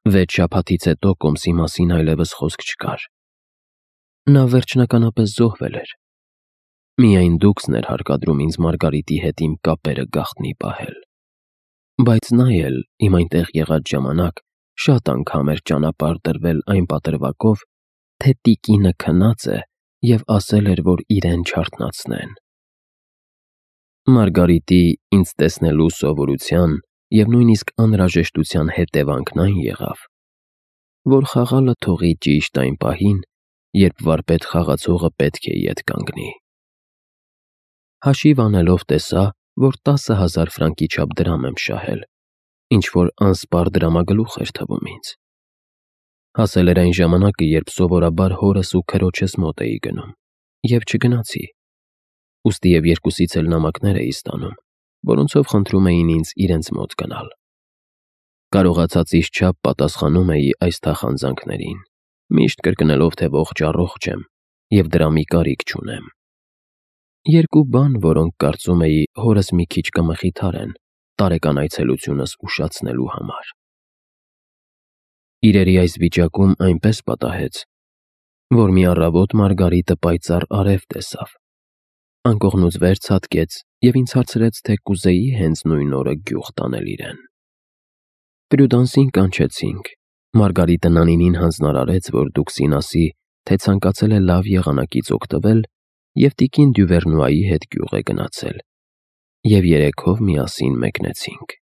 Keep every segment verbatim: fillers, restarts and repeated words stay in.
Վեց շաբաթից հետո կոմսի մասին այլևս խոսք չկար։ Նա վերջնականապես զոհվել էր։ Միայն դուքսն էր հարկադրում ինձ Մարգարիտի հետ իմ կապերը գաղտնի պահել։ Բայց նա էլ իմ այնտեղ եղած ժամանակ շատ անգամ էր ճանապարհ տրվել այն պատրվակով, թե տիկինը քնած է և ասել էր, որ իրեն չարթնացնեն։ Մարգարիտի ինձ տեսնելու սովորության և նույնիսկ անհրաժեշտության հետևանքն այն եղավ, որ խաղալը թողի ճիշտ այն պահին, երբ վարպետ խաղացողը պետք է ետ կանգնի։ Հաշիվ անելով տեսա, որ տասը հազար ֆրանկի չափ դրամ եմ շահել, ինչ-որ անսպառ դրամագլուխ էր թվում ինձ։ Հասել էր այն ժամանակը, երբ սովորաբար հորս ու քրոջս մոտ էի գնում, և չգնացի։ Ուստի և երկուսից էլ նամակներ էի ստանում, որոնցով խնդրում էին ինձ իրենց մոտ գնալ։ Կարողացածիս չափ պատասխանում էի այս թախանձանքներին, միշտ կրկնելով, թե ողջ-առողջ եմ և դրամի կարիք չունեմ։ Երկու բան, որոնք կարծում էի հորս մի քիչ կմխիթարեն տարեկան այցելությունս ուշացնելու համար։ Իրերի այս վիճակում այնպես պատահեց, որ մի առավոտ Մարգարիտը պայծառ արև տեսավ, անկողնուց վեր ցատկեց և ինձ հարցրեց, թե կուզեի հենց նույն օրը գյուղ տանել իրեն։ Պրյուդանսին կանչեցինք։ Մարգարիտը Նանինին հանձնարարեց, որ դուքսին ասի, թե ցանկացել է լավ եղանակից օգտվել և տիկին Դյուվերնուայի հետ գյուղ է գնացել, և երեքով միասին մեկնեցինք։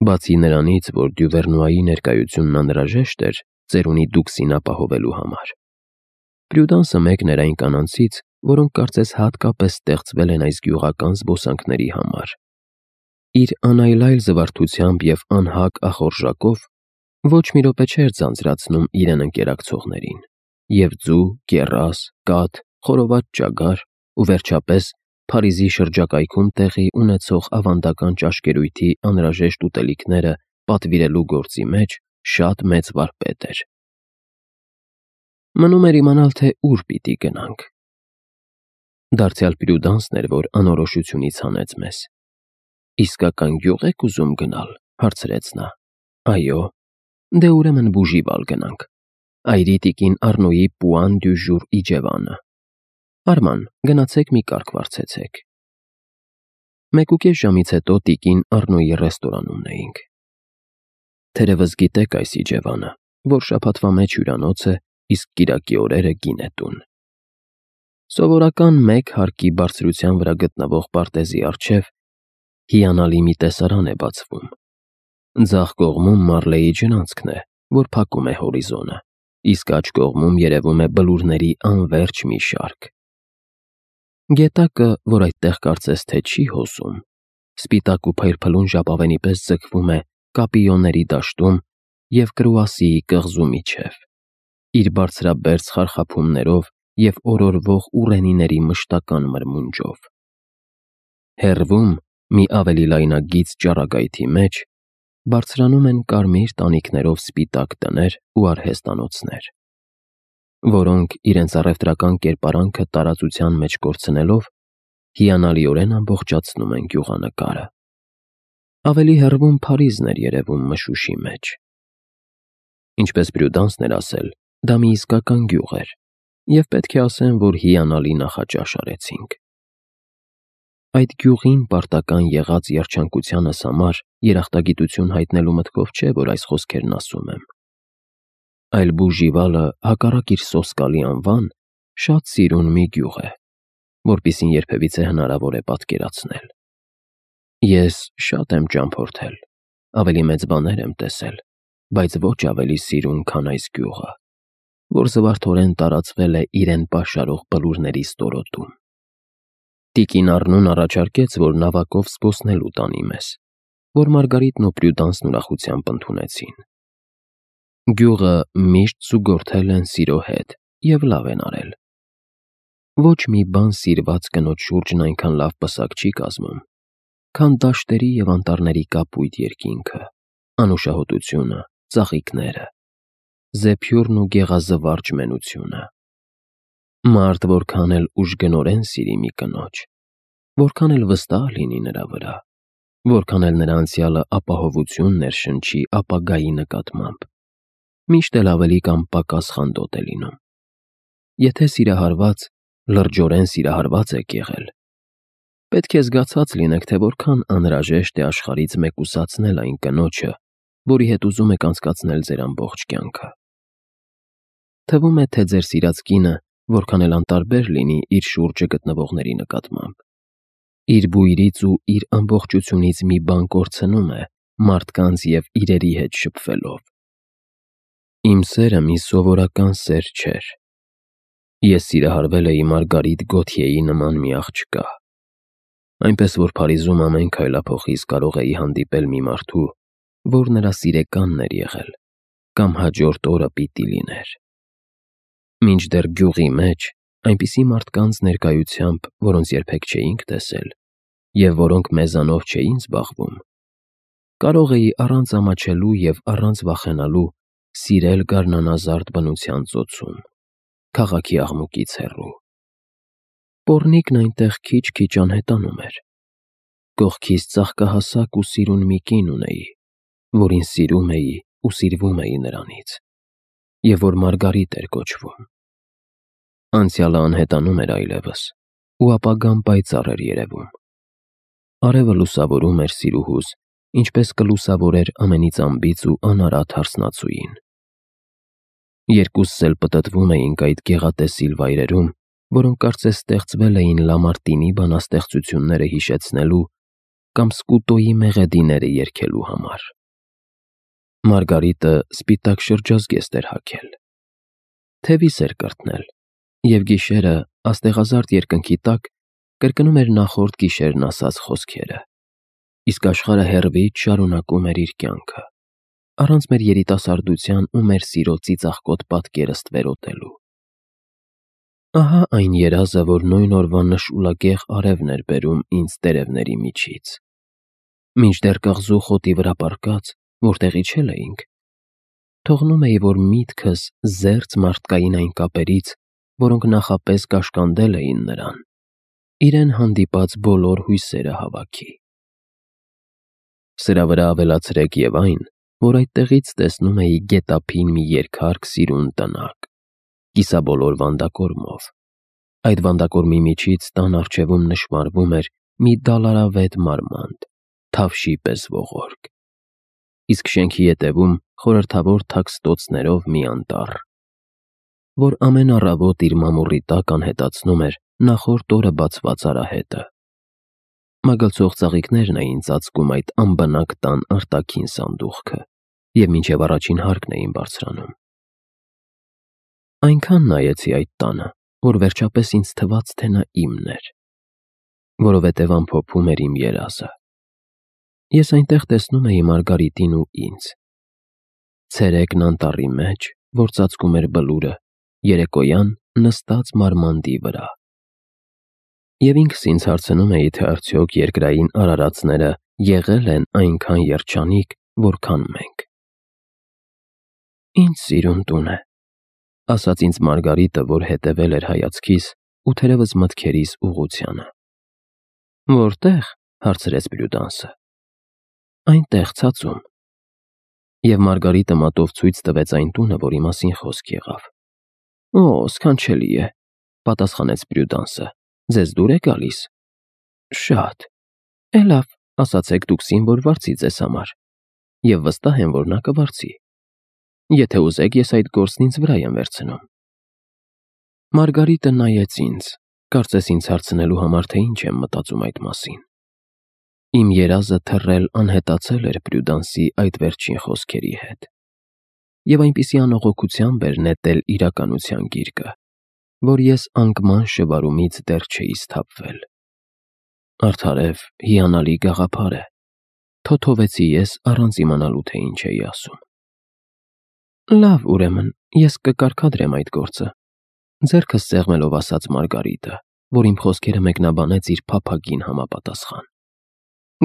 Բացի նրանից, որ Դյուվերնուայի ներկայությունն անհրաժեշտ էր ծերունի դուքսին ապահովելու համար, Պրյուդանսը մեկն էր այն կանանցից, որոնք կարծես հատկապես ստեղծվել են այս գյուղական զբոսանքների համար։ Իր անայլայլ զվարթությամբ և անհակ ախորժակով ոչ մի րոպե չէր ձանձրացնում իրեն ընկերակցողներին, և ձու, կեռաս, կաթ, խորոված ճագար ու վերջապես Փարիզի շրջակայքում տեղի ունեցող ավանդական ճաշկերույթի անհրաժեշտ ուտելիքները պատվիրելու գործի մեջ շատ մեծ վարպետ էր։ Մնում էր իմանալ, թե ուր պիտի գնանք։ Դարձյալ Պրյուդանսն էր, որ անորոշությունից հանեց մեզ։ «Իսկական գյուղ եք ուզում գնալ», հարցրեց նա։ «Այո»։ «Դե ուրեմն Բուժիվալ գնանք, այրի տիկին Առնոյի Պուան դյու Ժուր իջևանը։ Արման, գնացեք մի կարգ վարձեցեք»։ Մեկուկես ժամից հետո տիկին Առնոյի ռեստորանումն էինք։ Թերևս գիտեք այս իջևանը, որ շաբաթվա մեջ հյուրանոց է, իսկ կիրակի օրերը գինետուն։ Սովորական մեկ հարկի բարձրության վրա գտնվող պարտեզի առջև հիանալի մի տեսարան է բացվում։ Ձախ կողմում Մարլեի ջրանցքն է, որ փակում է հորիզոնը, իսկ աջ կողմում երևում է բլուրների անվերջ մի շարք։ Գետակը, որ այդտեղ կարծես թե չի հոսում, սպիտակ ու փայլփլուն ժապավենի պես ձգվում է Կապիոների դաշտում և Կրուասիի կղզու միջև, իր բարձրաբերձ խարխափումներով և օրորվող ուռենիների մշտական մրմունջով։ Հեռվում, մի ավելի լայնագիծ ճառագայթի մեջ, բարձրանում են կարմիր տանիքներով սպիտակ տներ ու արհեստանոցներ, որոնք, իրենց առևտրական կերպարանքը տարածության մեջ կորցնելով, հիանալիորեն ամբողջացնում են գյուղանկարը։ Ավելի հեռվում Փարիզն էր երևում մշուշի մեջ։ Ինչպես Պրյուդանսն էր ասել, դա մի իսկական գյուղ էր, և պետք է ասեմ, որ հիանալի նախաճաշ արեցինք։ Այդ գյուղին պարտական եղած երջանկությանս համար երախտագիտություն հայտնելու մտքով չէ, որ այս խոսքերն ասում եմ, այլ Բուժիվալը, հակառակ իր սոսկալի անվան, շատ սիրուն մի գյուղ է, որպիսին երբևիցե հնարավոր է պատկերացնել։ Ես շատ եմ ճամփորդել, ավելի մեծ բաներ եմ տեսել, բայց ոչ ավելի սիրուն, քան այս գյուղը, որ զվարթորեն տարածվել է իրեն պաշարող բլուրների ստորոտում։ Տիկին Առնուն առաջարկեց, որ նավակով զբոսնելու տանի մեզ, որ Մարգարիտն ու Պրյուդանսն ուրախությամբ ընդունեցին։ Գյուղը միշտ զուգորդել են սիրո հետ և լավ են արել։ Ոչ մի բան սիրված կնոջ շուրջն այնքան լավ պսակ չի կազմում, քան դաշտերի և անտառների կապույտ երկինքը, անուշահոտությունը, ծաղիկները, զեփյուռն ու գեղազվարճ մենությունը։ Մարդ որքան էլ ուժգնորեն սիրի մի կնոջ, որքան էլ վստահ լինի նրա վրա, որքան էլ նրա անցյալը ապահովություն ներշնչի ապագայի նկատմամբ, միշտ էլ ավելի կամ պակաս խանդոտ է լինում։ Եթե սիրահարված, լրջորեն սիրահարված եք եղել, պետք է զգացած լինեք, թե որքան անհրաժեշտ է աշխարհից մեկուսացնել այն կնոջը, որի հետ ուզում եք անցկացնել ձեր ամբողջ կյանքը։ Թվում է, թե ձեր սիրած կինը որքան էլ անտարբեր լինի իր շուրջը գտնվողների նկատմամբ, իր բույրից ու իր ամբողջությունից մի բան կորցնում է մարդկանց և իրերի հետ շփվելով։ Իմ սերը մի սովորական սեր չէր։ Ես սիրահարվել էի Մարգարիտ Գոթյեի նման մի աղջկա, այնպես որ Փարիզում ամեն քայլափոխիս կարող էի հանդիպել մի մարդու, որ նրա սիրեկանն էր եղել, կամ հաջորդ օրը պիտի լիներ։ Մինչդեռ գյուղի մեջ այնպիսի մարդկանց ներկայությամբ, որոնց երբեք չէինք տեսել և որոնք մեզանով չէին զբաղվում, կարող էի առանց ամաչելու և առանց վախենալու սիրել գարնանազարդ բնության ծոցում, քաղաքի աղմուկից հեռու։ Պոռնիկն այնտեղ քիչ-քիչ անհետանում էր։ Կողքիս ծաղկահասակ ու սիրուն մի կին ունեի, որին սիրում էի ու սիրվում էի նրանից, և որ Մարգարիտ էր կոչվում։ Անցյալը անհետանում էր այլևս, ու ապագան պայծառ էր երևում։ Արևը լուսավորում էր սիրուհուս, ինչպես կլուսավորեր ամենից անբիծ ու անարատ հարսնացուին։ Երկուսս էլ պտտվում էինք այդ գեղատեսիլ վայրերում, որոնք կարծես ստեղծվել էին Լամարտինի բանաստեղծությունները հիշեցնելու կամ Սկուտոյի մեղեդիները երգելու համար։ Մարգարիտը սպիտակ շրջազգեստ էր հագել, թևիս էր կրտնել, և գիշերը աստեղազարդ երկնքի տակ կրկնում էր նախորդ գիշերն ասած խոսքերը, իսկ աշխարհը հեռվից շարունակում էր իր կյանքը, առանց մեր երիտասարդության ու մեր սիրո ծիծաղկոտ պատկերը ստվերոտելու։ Ահա այն երազը, որ նույն օրվա նշուլագեղ արևն էր բերում ինձ տերևների միջից։ Մինչդեռ կղզու խոտի վրա պառկած, որտեղ իջել էինք, թողնում էի, որ միտքս զերծ մարդկային այն կապերից, որոնք նախապես կաշկանդել էին նրան, իրեն հանդիպած բոլոր հույսերը հավաքի։ Սրա վրա ավելացրեք և այն, որ այդտեղից տեսնում էի գետափին մի երկհարկ սիրուն տնակ, կիսաբոլոր վանդակորմով։ Այդ վանդակորմի միջից տան առջևում նշմարվում էր մի դալարավետ մարմանդ, թավշի պես ողորկ, իսկ շենքի ետևում խորհրդավոր թաքստոցներով մի անտառ, որ ամեն առավոտ իր մամուռի տակ անհետացնում էր նախորդ օրը բացված արահետը։ Մագլցող ծաղիկներն էին ծածկում այդ անբնակ տան արտաքին սանդուղքը և մինչև առաջին հարկն էին բարձրանում։ Այնքան նայեցի այդ տանը, որ վերջապես ինձ թվաց, թե նա իմն էր, որովհետև ամփոփում էր իմ երազը։ Ես այնտեղ տեսնում էի Մարգարիտին ու ինձ, ցերեկն անտառի մեջ, որ ծածկում էր բլուրը, երեկոյան նստած մարմանդի վրա։ Եվ ինքս ինձ հարցնում էի, թե արդյոք երկրային արարածները եղել են այնքան երջանիկ, որքան մենք։ Ինչ սիրուն տուն է, ասաց ինձ Մարգարիտը, որ հետևել էր հայացքիս ու թերևս մտքերիս ուղղությանը։ Որտե՞ղ, հարցրեց Պրյուդանսը։ Այնտեղ ցածում։ Եվ Մարգարիտը մատով ցույց տվեց այն տունը, որի մասին խոսք եղավ։ Օ, սքանչելի է, պատասխանեց Պրյուդանսը, ձեզ դուր է գալիս։ Շատ։ Է լավ, ասացեք դուք զինվոր վարձի ձեզ համար, և վստահ եմ, որ նա կվարձի։ Եթե ուզեք, ես այդ գործն ինձ վրա եմ վերցնում։ Մարգարիտը նայեց ինձ, կարծես ինձ հարցնելու համար, թե ինչ եմ մտածում այդ մասին։ Իմ երազը թռել անհետացել էր Պրյուդանսի այդ վերջին խոսքերի հետ, և այնպիսի անողոքությամբ էր նետել իրականության գիրկը, որ ես անկման շվարումից դեռ չէի սթափվել։ Արդարև հիանալի գաղափար է, թոթովեցի ես առանց իմանալու, թե ինչ էի ասում։ Լավ, ուրեմն, ես կկարգադրեմ այդ գործը, ձեռքս սեղմելով ասաց Մարգարիտը, որ իմ խոսքերը մեկնաբանեց իր փափագին համապատասխան։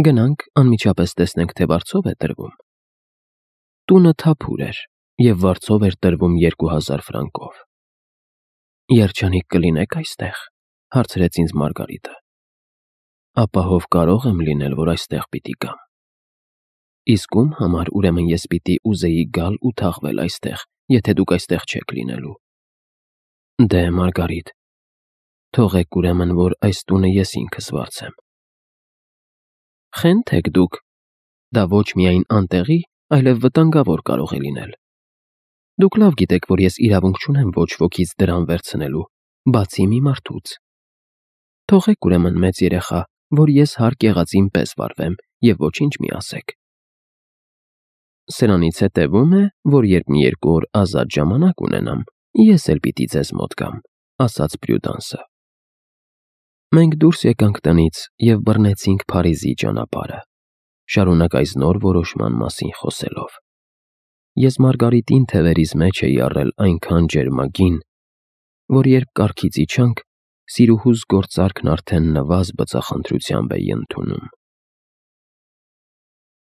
Գնանք, անմիջապես տեսնենք, թե վարձով է տրվում։ Տունը թափուր էր, և վարձով էր տրվում երկու հազար ֆրանկով։ Երջանիկ կլինեք այստեղ, հարցրեց ինձ Մարգարիտը։ ապա հով կարող եմ լինել, որ այստեղ պիտի գամ։ Իսկ ում համար ուրեմն ես պիտի ուզեի գալ ու թաղվել այստեղ, եթե դուք այստեղ չեք լինելու։ Դե, Մարգարիտ, թողեք ուրեմն, որ այս տունը ես ինքս վարձեմ։ Խենթ եք դուք, դա ոչ միայն անտեղի, այլև վտանգավոր կարող է լինել։ Դուք լավ գիտեք, որ ես իրավունք չունեմ ոչ ոքից դրամ վերցնելու, բացի մի մարդուց։ Թողեք ուրեմն մեծ երեխա, որ ես հարկ եղածին պես վարվեմ և ոչինչ մի ասեք։ Սրանից հետևում է, որ երբ մի երկու օր ազատ ժամանակ ունենամ, ես էլ պիտի ձեզ մոտ գամ, ասաց Պրյուդանսը։ Մենք դուրս եկանք տնից և բռնեցինք Փարիզի ճանապարհը, շարունակ այս նոր որոշման մասին խոսելով։ Ես Մարգարիտին թևերիս մեջ էի առել այնքան ջերմագին, որ երբ կառքից իջանք, սիրուհուս գործարքն արդեն նվազ բծախնդրությամբ էի ընդունում։